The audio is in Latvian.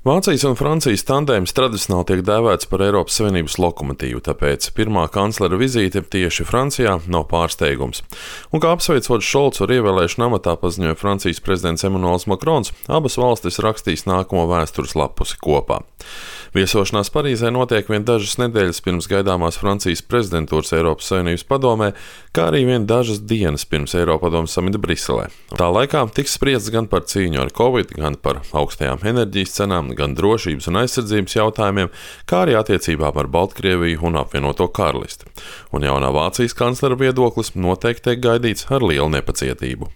Vācijas un Francijas tandēms tradicionāli tiek dēvēts par Eiropas Savienības lokomotīvu, tāpēc pirmā kanclera vizīte tieši Francijā nav pārsteigums. Un kā apsveicot Šolcu ar ievēlēšanu amatā paziņoja Francijas prezidents Emmanuels Macrons, abas valstis rakstīs nākamo vēstures lapusi kopā. Viesošanās Parīzē notiek vien dažas nedēļas pirms gaidāmās Francijas prezidentūras Eiropas Savienības padomē, kā arī vien dažas dienas pirms Eiropadomes samita Briselē. Tā laikā tiks spriests gan par cīņu ar Covid, gan par augstajām enerģijas cenām, gan drošības un aizsardzības jautājumiem, kā arī attiecībām ar Baltkrieviju un apvienoto karalisti. Un jaunā Vācijas kanclera viedoklis noteikti tiek gaidīts ar lielu nepacietību.